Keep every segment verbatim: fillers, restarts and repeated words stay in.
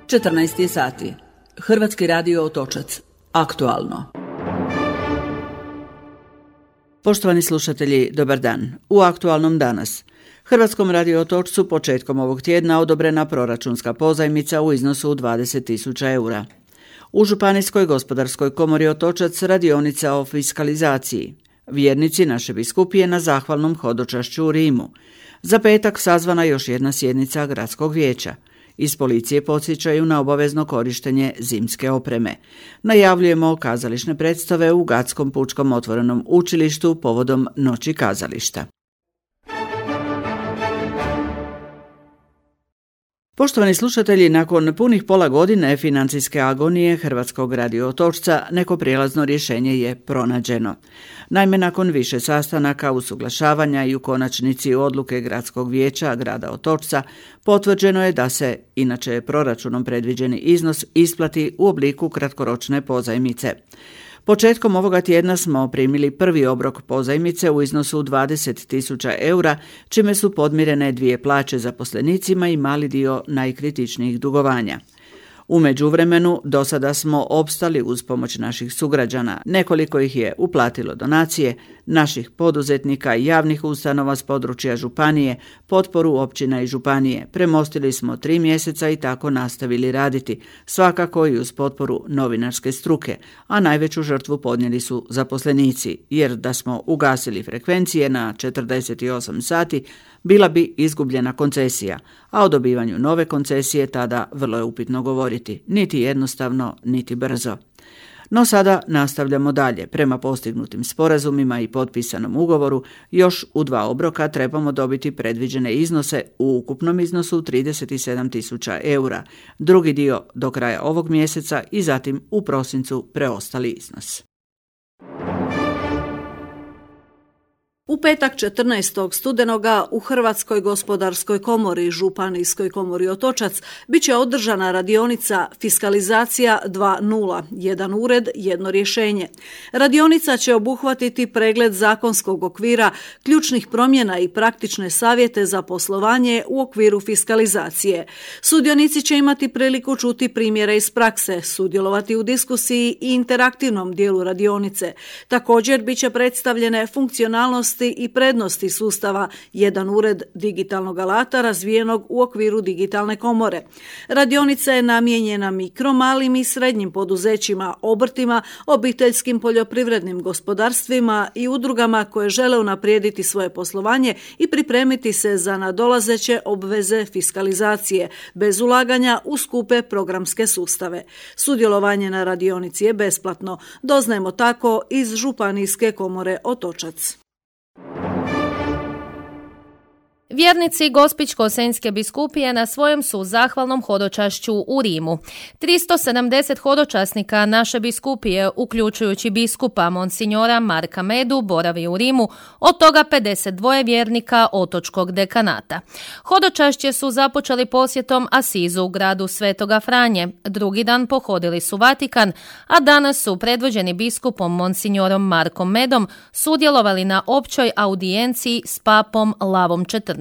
četrnaest je sati. Hrvatski radio Otočac. Aktualno. Poštovani slušatelji, dobar dan. U aktualnom danas. Hrvatskom radio Otočcu početkom ovog tjedna odobrena proračunska pozajmica u iznosu dvadeset tisuća eura. U Županijskoj gospodarskoj komori Otočac radionica o fiskalizaciji. Vjernici naše biskupije na zahvalnom hodočašću u Rimu. Za petak sazvana još jedna sjednica gradskog vijeća. Iz policije podsjećaju na obavezno korištenje zimske opreme. Najavljujemo kazališne predstave u Gatskom pučkom otvorenom učilištu povodom Noći kazališta. Poštovani slušatelji, nakon punih pola godine financijske agonije Hrvatskog radio Otočca neko prijelazno rješenje je pronađeno. Naime, nakon više sastanaka, usuglašavanja i u konačnici odluke Gradskog vijeća grada Otočca, potvrđeno je da se, inače proračunom predviđeni iznos, isplati u obliku kratkoročne pozajmice. Početkom ovoga tjedna smo primili prvi obrok pozajmice u iznosu dvadeset tisuća eura, čime su podmirene dvije plaće zaposlenicima i mali dio najkritičnijih dugovanja. U međuvremenu do sada smo opstali uz pomoć naših sugrađana. Nekoliko ih je uplatilo donacije, naših poduzetnika i javnih ustanova s područja županije, potporu općina i županije. Premostili smo tri mjeseca i tako nastavili raditi, svakako i uz potporu novinarske struke, a najveću žrtvu podnijeli su zaposlenici, jer da smo ugasili frekvencije na četrdeset osam sati, bila bi izgubljena koncesija, a o dobivanju nove koncesije tada vrlo je upitno govoriti, niti jednostavno, niti brzo. No sada nastavljamo dalje. Prema postignutim sporazumima i potpisanom ugovoru, još u dva obroka trebamo dobiti predviđene iznose u ukupnom iznosu trideset sedam tisuća eura, drugi dio do kraja ovog mjeseca i zatim u prosincu preostali iznos. U petak četrnaestog studenoga u Hrvatskoj gospodarskoj komori i Županijskoj komori Otočac bit će održana radionica Fiskalizacija dva nula, jedan ured, jedno rješenje. Radionica će obuhvatiti pregled zakonskog okvira, ključnih promjena i praktične savjete za poslovanje u okviru fiskalizacije. Sudionici će imati priliku čuti primjere iz prakse, sudjelovati u diskusiji i interaktivnom dijelu radionice. Također bit će predstavljene funkcionalnosti i prednosti sustava jedan ured digitalnog alata razvijenog u okviru digitalne komore. Radionica je namijenjena mikro, malim i srednjim poduzećima, obrtima, obiteljskim poljoprivrednim gospodarstvima i udrugama koje žele unaprijediti svoje poslovanje i pripremiti se za nadolazeće obveze fiskalizacije, bez ulaganja u skupe programske sustave. Sudjelovanje na radionici je besplatno, doznajemo tako iz Županijske komore Otočac. Vjernici Gospićko-senjske biskupije na svojem su zahvalnom hodočašću u Rimu. tristo sedamdeset hodočasnika naše biskupije, uključujući biskupa Monsignora Marka Medu, boravi u Rimu, od toga pedeset dva vjernika otočkog dekanata. Hodočašće su započeli posjetom Asizu u gradu Svetoga Franje, drugi dan pohodili su Vatikan, a danas su predvođeni biskupom Monsignorom Markom Medom sudjelovali na općoj audijenciji s papom Lavom četrnaestim.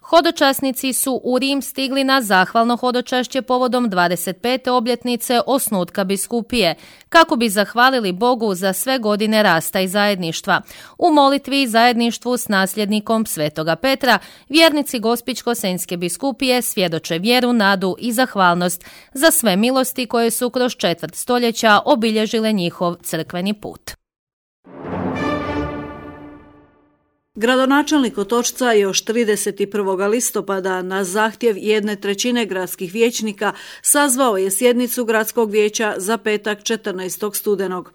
Hodočasnici su u Rim stigli na zahvalno hodočašće povodom dvadeset pete obljetnice osnutka biskupije, kako bi zahvalili Bogu za sve godine rasta i zajedništva. U molitvi i zajedništvu s nasljednikom Svetoga Petra, vjernici Gospićko-senjske biskupije svjedoče vjeru, nadu i zahvalnost za sve milosti koje su kroz četvrt stoljeća obilježile njihov crkveni put. Gradonačelnik Otočca još trideset prvog listopada na zahtjev jedne trećine gradskih vijećnika sazvao je sjednicu gradskog vijeća za petak četrnaestog studenog.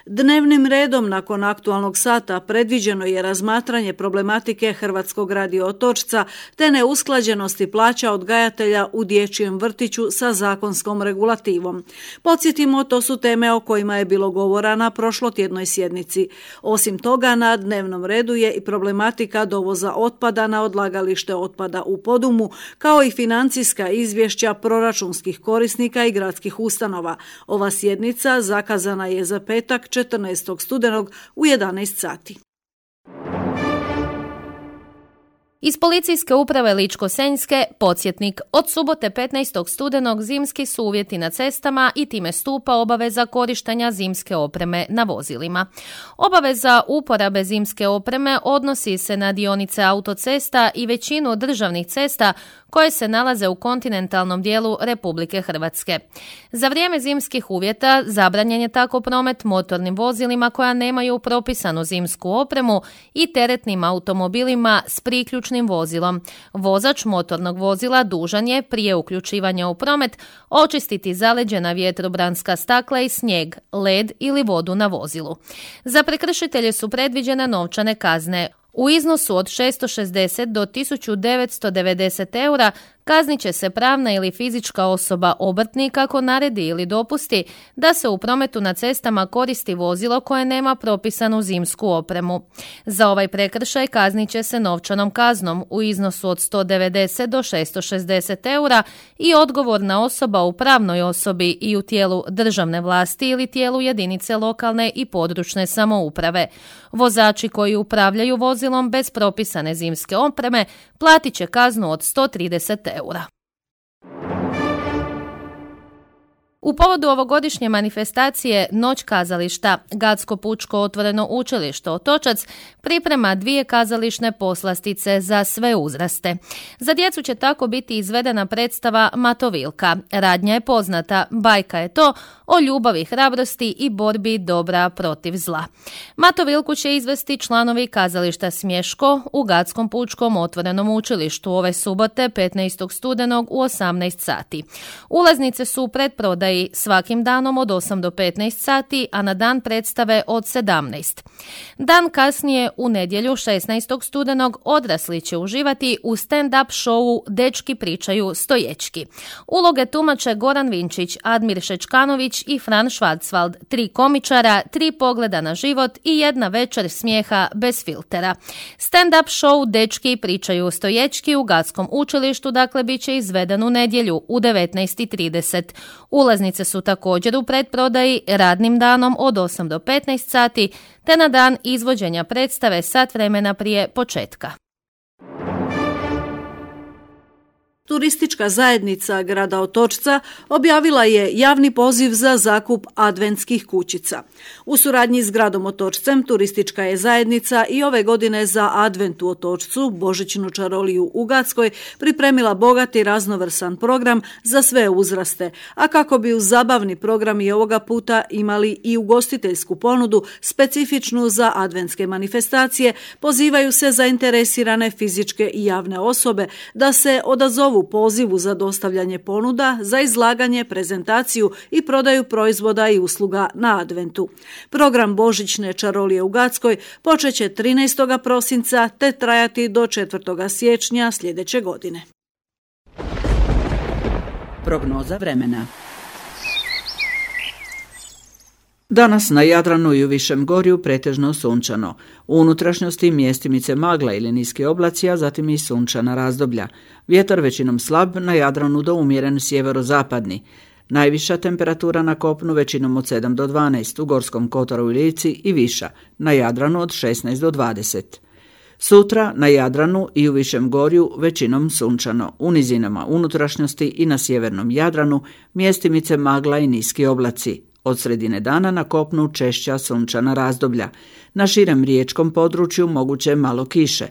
Dnevnim redom nakon aktualnog sata predviđeno je razmatranje problematike Hrvatskog radio Otočca te neusklađenosti plaća odgajatelja u dječjem vrtiću sa zakonskom regulativom. Podsjetimo, to su teme o kojima je bilo govora na prošlotjednoj sjednici. Osim toga, na dnevnom redu je i problematika dovoza otpada na odlagalište otpada u Podumu, kao i financijska izvješća proračunskih korisnika i gradskih ustanova. Ova sjednica zakazana je za petak četrnaestog studenog u jedanaest sati. Iz policijske uprave Ličko-senjske podsjetnik. Od subote petnaestog studenog zimski su uvjeti na cestama i time stupa obaveza korištenja zimske opreme na vozilima. Obaveza uporabe zimske opreme odnosi se na dionice autocesta i većinu državnih cesta koje se nalaze u kontinentalnom dijelu Republike Hrvatske. Za vrijeme zimskih uvjeta zabranjen je tako promet motornim vozilima koja nemaju propisanu zimsku opremu i teretnim automobilima s priključnim vozilom. Vozač motornog vozila dužan je prije uključivanja u promet očistiti zaleđena vjetrobranska stakla i snijeg, led ili vodu na vozilu. Za prekršitelje su predviđene novčane kazne u iznosu od šesto šezdeset do tisuću devetsto devedeset eura. Kaznit će se pravna ili fizička osoba obrtnik ako naredi ili dopusti da se u prometu na cestama koristi vozilo koje nema propisanu zimsku opremu. Za ovaj prekršaj kaznit će se novčanom kaznom u iznosu od sto devedeset do šesto šezdeset eura i odgovorna osoba u pravnoj osobi i u tijelu državne vlasti ili tijelu jedinice lokalne i područne samouprave. Vozači koji upravljaju vozilom bez propisane zimske opreme platit će kaznu od sto trideset eura. U povodu ovogodišnje manifestacije Noć kazališta, Gatsko pučko otvoreno učilište Otočac priprema dvije kazališne poslastice za sve uzraste. Za djecu će tako biti izvedena predstava Matovilka. Radnja je poznata, bajka je to o ljubavi, hrabrosti i borbi dobra protiv zla. Matovilku će izvesti članovi kazališta Smješko u Gatskom pučkom otvorenom učilištu ove subote petnaestog studenog u osamnaest sati. Ulaznice su u pretprodaji svakim danom od osam do petnaest sati, a na dan predstave od sedamnaest. Dan kasnije u nedjelju šesnaestog studenog odrasli će uživati u stand-up showu Dečki pričaju stoječki. Uloge tumače Goran Vinčić, Admir Šečkanović i Fran Schwarzwald, tri komičara, tri pogleda na život i jedna večer smijeha bez filtera. Stand-up show Dečki pričaju stoječki u Gatskom učilištu dakle bit će izveden u nedjelju u devetnaest i trideset. Ulaznice su također u pretprodaji radnim danom od osam do petnaest sati, te na dan izvođenja predstave sat vremena prije početka. Turistička zajednica grada Otočca objavila je javni poziv za zakup adventskih kućica. U suradnji s gradom Otočcem turistička je zajednica i ove godine za advent u Otočcu, božićnu čaroliju u Gatskoj, pripremila bogat i raznovrsan program za sve uzraste, a kako bi uz zabavni program i ovoga puta imali i ugostiteljsku ponudu specifičnu za adventske manifestacije, pozivaju se zainteresirane fizičke i javne osobe da se odazovu pozivu za dostavljanje ponuda, za izlaganje, prezentaciju i prodaju proizvoda i usluga na adventu. Program božićne čarolije u Gatskoj počeće trinaestog prosinca te trajati do četvrtog siječnja sljedeće godine. Prognoza vremena. Danas na Jadranu i u Višem Gorju pretežno sunčano. U unutrašnjosti mjestimice magla ili niski oblaci, a zatim i sunčana razdoblja. Vjetar većinom slab, na Jadranu do umjeren sjeverozapadni. Najviša temperatura na kopnu većinom od sedam do dvanaest, u Gorskom kotaru i Lici i viša, na Jadranu od šesnaest do dvadeset. Sutra na Jadranu i u Višem Gorju većinom sunčano, u nizinama unutrašnjosti i na sjevernom Jadranu mjestimice magla i niski oblaci. Od sredine dana na kopnu češća sunčana razdoblja. Na širem riječkom području moguće malo kiše.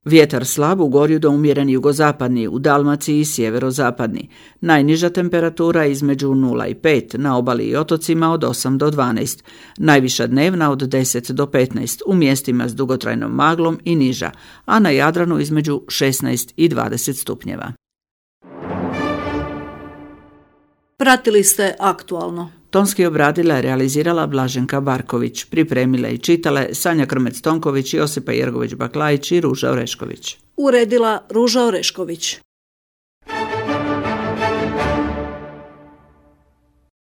Vjetar slab, u Gorju do umjeren jugozapadni, u Dalmaciji i sjeverozapadni. Najniža temperatura između nula i pet, na obali i otocima od osam do dvanaest. Najviša dnevna od deset do petnaest, u mjestima s dugotrajnom maglom i niža, a na Jadranu između šesnaest i dvadeset stupnjeva. Pratili ste Aktualno. Tonski obradila i realizirala Blaženka Barković, pripremila i čitale Sanja Krmec-Tonković, Josipa Jergović-Baklajić i Ruža Orešković. Uredila Ruža Orešković.